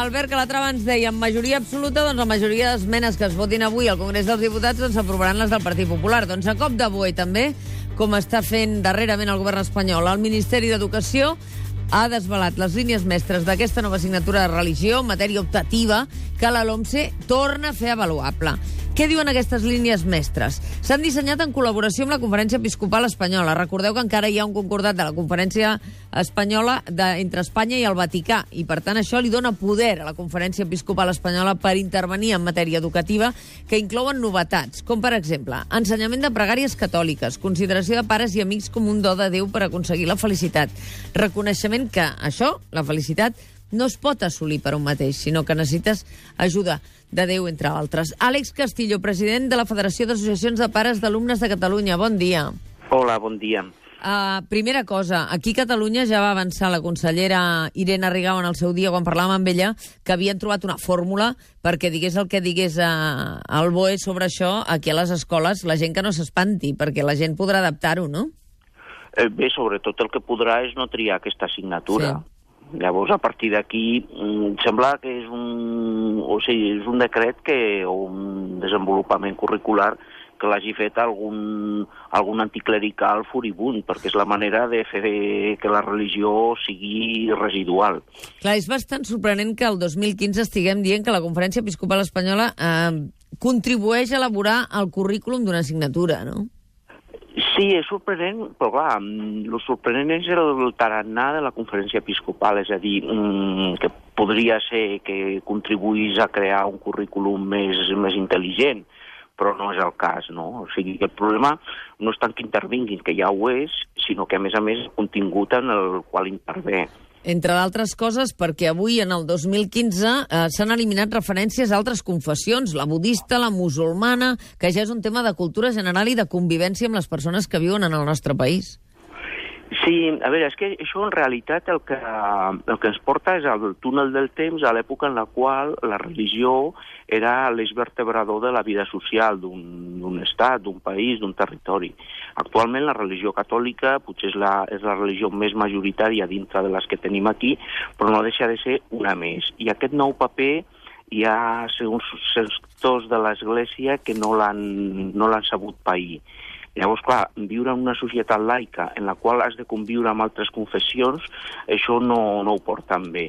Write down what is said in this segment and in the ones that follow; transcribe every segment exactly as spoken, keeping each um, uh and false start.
Albert Calatrava ens deia, en majoria absoluta, doncs la majoria d'esmenes que es votin avui al Congrés dels Diputats doncs s'aprovaran les del Partit Popular. Doncs a cop de boi també, com està fent darrerament el govern espanyol, el Ministeri d'Educació ha desvelat les línies mestres d'aquesta nova assignatura de religió en matèria optativa que la LOMCE torna a fer avaluable. Què diuen aquestes línies mestres? S'han dissenyat en col·laboració amb la Conferència Episcopal Espanyola. Recordeu que encara hi ha un concordat de la Conferència Espanyola de, entre Espanya i el Vaticà, i per tant això li dona poder a la Conferència Episcopal Espanyola per intervenir en matèria educativa, que inclouen novetats, com per exemple ensenyament de pregàries catòliques, consideració de pares i amics com un do de Déu per aconseguir la felicitat, reconeixement que això, la felicitat, no es pot assolir per un mateix, sinó que necessites ajuda de Déu, entre altres. Àlex Castillo, president de la Federació d'Associacions de Pares d'Alumnes de Catalunya. Bon dia. Hola, bon dia. Uh, primera cosa, aquí a Catalunya ja va avançar la consellera Irene Rigau en el seu dia, quan parlàvem amb ella, que havien trobat una fórmula perquè digués el que digués uh, el B O E sobre això aquí a les escoles, la gent que no s'espanti, perquè la gent podrà adaptar-ho, no? Eh, bé, sobretot el que podrà és no triar aquesta assignatura. Sí. Llavors, a partir d'aquí, sembla que és un, o sigui, és un decret que, o un desenvolupament curricular que l'hagi fet algun, algun anticlerical furibund, perquè és la manera de fer que la religió sigui residual. Clar, és bastant sorprenent que el dos mil quinze estiguem dient que la Conferència Episcopal Espanyola eh, contribueix a elaborar el currículum d'una assignatura, no? Sí, és sorprenent, però clar, el sorprenent és el tarannà de la Conferència Episcopal, és a dir, que podria ser que contribuís a crear un currículum més, més intel·ligent, però no és el cas, no? O sigui, el problema no és tant que intervinguin, que ja ho és, sinó que, a més a més, el contingut en el qual intervé. Entre d'altres coses, perquè avui, en el dos mil quinze, eh, s'han eliminat referències a altres confessions, la budista, la musulmana, que ja és un tema de cultura general i de convivència amb les persones que viuen en el nostre país. Sí, a veure, és que això en realitat el que, el que ens porta és al túnel del temps, a l'època en la qual la religió era l'eix vertebrador de la vida social d'un estat, d'un país, d'un territori. Actualment la religió catòlica potser és la, és la religió més majoritària dintre de les que tenim aquí, però no deixa de ser una més. I aquest nou paper hi ha segons sectors de l'Església que no l'han no l'han sabut pair. Llavors, clar, viure en una societat laica en la qual has de conviure amb altres confessions, això no, no ho porten bé.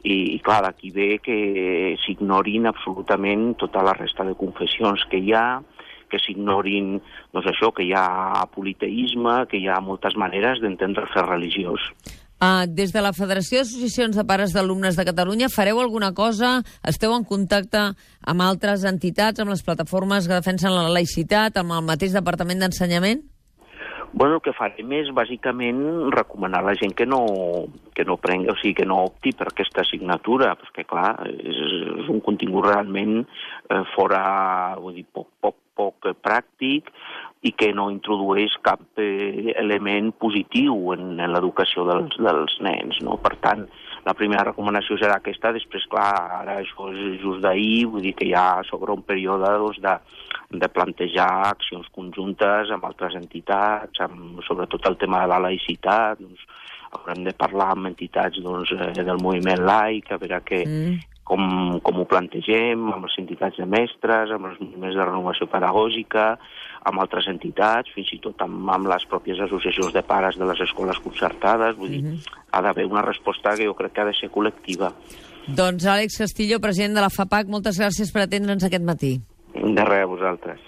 I, i clar, d'aquí ve que s'ignorin absolutament tota la resta de confessions que hi ha, que s'ignorin, doncs això, que hi ha politeisme, que hi ha moltes maneres d'entendre el fet religiós. Uh, des de la Federació d'Associacions de Pares d'Alumnes de Catalunya, fareu alguna cosa? Esteu en contacte amb altres entitats, amb les plataformes que defensen la laïcitat, amb el mateix Departament d'Ensenyament? Bueno, el que farem és, bàsicament, recomanar a la gent que no, que no prengui, o sigui, que no opti per aquesta assignatura, perquè, clar, és, és un contingut realment eh, fora, vull dir, poc, poc, poc pràctic, i que no introdueix cap eh, element positiu en, en l'educació dels, dels nens, no? Per tant, la primera recomanació serà aquesta. Després, clar, ara això és just d'ahir, vull dir que ja s'obre un període doncs, de, de plantejar accions conjuntes amb altres entitats, amb, sobretot el tema de la laïcitat, doncs, haurem de parlar amb entitats doncs, del moviment laic, a veure què, mm. com, com ho plantegem, amb les entitats de mestres, amb els moviments de renovació pedagògica, amb altres entitats, fins i tot amb, amb les pròpies associacions de pares de les escoles concertades. Vull dir, mm-hmm. ha d'haver una resposta que jo crec que ha de ser col·lectiva. Doncs Àlex Castillo, president de la FAPAC, moltes gràcies per atendre'ns aquest matí. De res, a vosaltres.